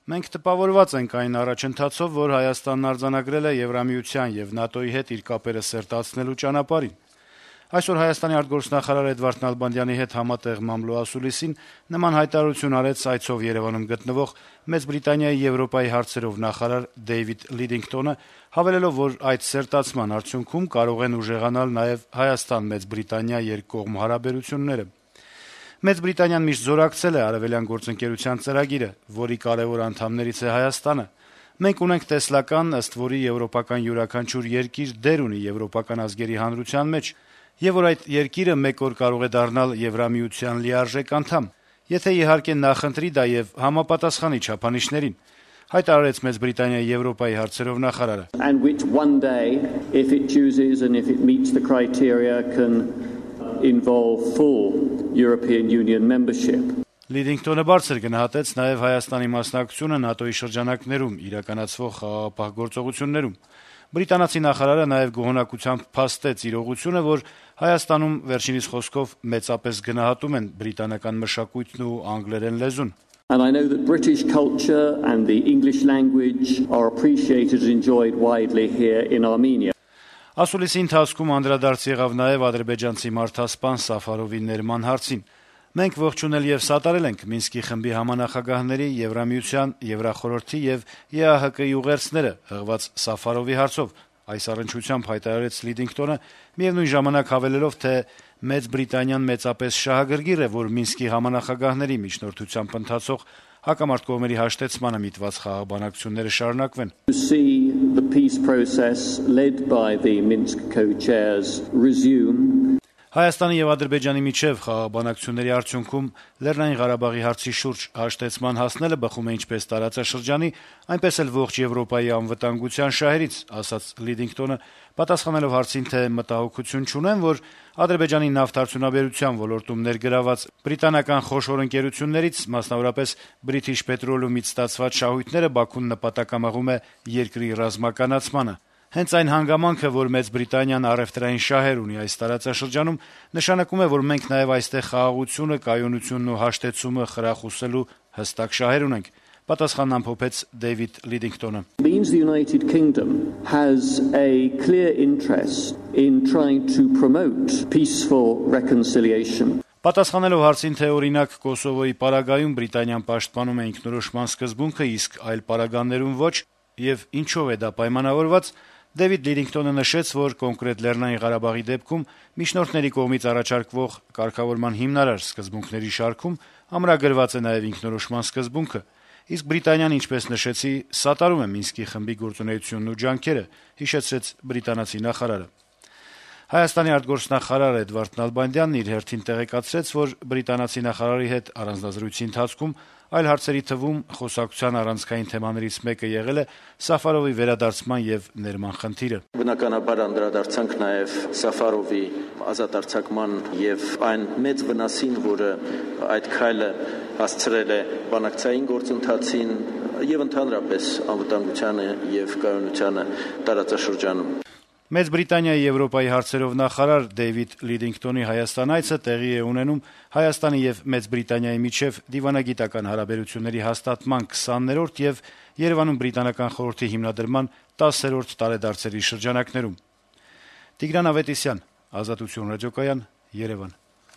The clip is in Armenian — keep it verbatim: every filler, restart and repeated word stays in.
Մենք տպավորված ենք այն առաջընթացով, որ Հայաստանն արձանագրել է Եվրամիության եւ ՆԱՏՕ-ի հետ իր կապերը սերտացնելու ճանապարհին։ Այսօր Հայաստանի արտգործնախարար Էդվարդ Նալբանդյանի հետ համատեղ մամլո ասուլիսին նման հայտարարություն արեց այցով Երեւանում գտնվող Մեծ Բրիտանիայի Եվրոպայի հարցերով նախարար Դեյվիդ Լիդինգտոնը, հավելելով, որ այդ սերտացման արդյունքում կարող են ուժեղանալ նաեւ Հայաստան-Մեծ Բրիտանիա երկկողմ հարաբերությունները։ Մեծ Բրիտանիան միշտ զորակցել է Արևելյան գործընկերության ծրագիրը, որի կարեւոր անդամներից է Հայաստանը։ Մենք ունենք տեսլական, ըստ որի եվրոպական յուրաքանչյուր երկիր դեր ունի եվրոպական ազգերի հանրության մեջ, եւ որ այդ երկիրը մեկ օր կարող է դառնալ Եվրամիության լիարժեք անդամ, եթե իհարկե նախընտրի դա եւ համապատասխանի չափանիշներին, հայտարարեց Մեծ Բրիտանիայի Եվրոպայի հարցերով նախարարը։ And which one day, if it chooses and if it meets the criteria, can involve full European Union membership. Լիդինգտոնը բարձր գնահատեց նաեւ Հայաստանի մասնակցությունը ՆԱՏՕ-ի շրջանակներում իրականացվող խաղաղապահ գործողություններում։ Բրիտանացի նախարարը նաեւ գոհունակությամբ փաստեց իրողությունը, որ Հայաստանում վերջինիս խոսքով մեծապես գնահատում են բրիտանական մշակույթն ու անգլերեն լեզուն։ And I know that British culture and the English language are appreciated and enjoyed widely here in Armenia. Ասուլիսի ընթացքում անդրադարձ եղավ նաեւ ադրբեջանցի մարդասպան Սաֆարովի ներման հարցին։ Մենք ողջունել եւ սատարել ենք Մինսկի խմբի համանախագահների, Եվրամիության, Եվրախորհրդի եւ ԵԱՀԿ-ի ուղերձները հղված Սաֆարովի հարցով, այս առնչությամբ հայտարարեց Լիդինգտոնը, միևնույն ժամանակ հավելելով, թե Մեծ Բրիտանիան մեծապես շահագրգիռ է, որ Մինսկի համանախագահների միջնորդությամբ ընթացող հակամարտ կողմերի հաշտեցմանը միտված խաղաղ բանակցությունները շարունակվեն։ To see the peace process led by the Minsk co-chairs resume. Հայաստանի եւ Ադրբեջանի միջեւ խաղաղ բանակցությունների արդյունքում Լեռնային Ղարաբաղի հարցի շուրջ հաշտեցման հասնելը բխում է ինչպես տարածաշրջանի, այնպես էլ ողջ Եվրոպայի անվտանգության շահերից, ասաց Լիդինգտոնը, պատասխանելով հարցին, թե մտահոգություն չունեն, որ Ադրբեջանի նավթարդյունաբերության ոլորտում ներգրաված բրիտանական խոշոր ընկերություններից, մասնավորապես British Petroleum-ից ստացված շահույթները Բաքուն նպատակամղում է երկրի ռազմականացմանը։ Հենց այն հանգամանքը, որ Մեծ Բրիտանիան առևտրային շահեր ունի այս տարածաշրջանում, նշանակում է, որ մենք նաեւ այստեղ խաղաղությունը, կայունությունն ու հաշտեցումը խրախուսելու հստակ շահեր ունենք, պատասխանն ամփոփեց Դեյվիդ Լիդինգտոնը։ Means the United Kingdom has a clear interest in trying to promote peaceful reconciliation. Պատասխանելով հարցին, թե օրինակ Կոսովոյի պարագայում Բրիտանիան պաշտպանում է ինքնորոշման սկզբունքը, իսկ այլ պարագաներում ոչ, եւ ինչով է դա պայմանավորված, Դեյվիդ Լիդինգտոնը նշեց, որ կոնկրետ Լեռնային Ղարաբաղի դեպքում միջնորդների կողմից առաջարկվող կարգավորման հիմնարար սկզբունքների շարքում ամրագրված է նաեւ ինքնորոշման սկզբունքը, իսկ Բրիտանիան, ինչպես նշեցի, սատարում է Մինսկի խմբի գործունեությունն ու ջանքերը, հիշեցրեց բրիտանացի նախարարը։ Հայաստանի արտգործնախարար Էդվարդ Նալբանդյանն իր հերթին տեղեկացրեց, որ բրիտանացի նախարարի հետ առանձնազրույցի ընթացքում այլ հարցերի թվում խոսակցության առանցքային թեմաներից մեկը եղել է Սաֆարովի վերադարձման եւ ներման խնդիրը։ Բնականաբար անդրադարձանք նաեւ Սաֆարովի ազատարձակման եւ այն մեծ վնասին, որը այդ քայլը հասցրել է բանակցային գործընթացին եւ ընդհանրապես անվտանգությանը եւ կայունությանը տարածաշրջանում։ Մեծ Բրիտանիայի Եվրոպայի հարցերով նախարար Դեյվիդ Լիդինգտոնի Հայաստան այցը տեղի է ունենում Հայաստանի եւ Մեծ Բրիտանիայի միջեւ դիվանագիտական հարաբերությունների հաստատման քսաներորդ եւ Երևանում բրիտանական խորհրդի հիմնադրման տասերորդ տարեդարձերի շրջանակներում։ Տիգրան Ավետիսյան, Ազատություն ռադիոկայան, Երևան։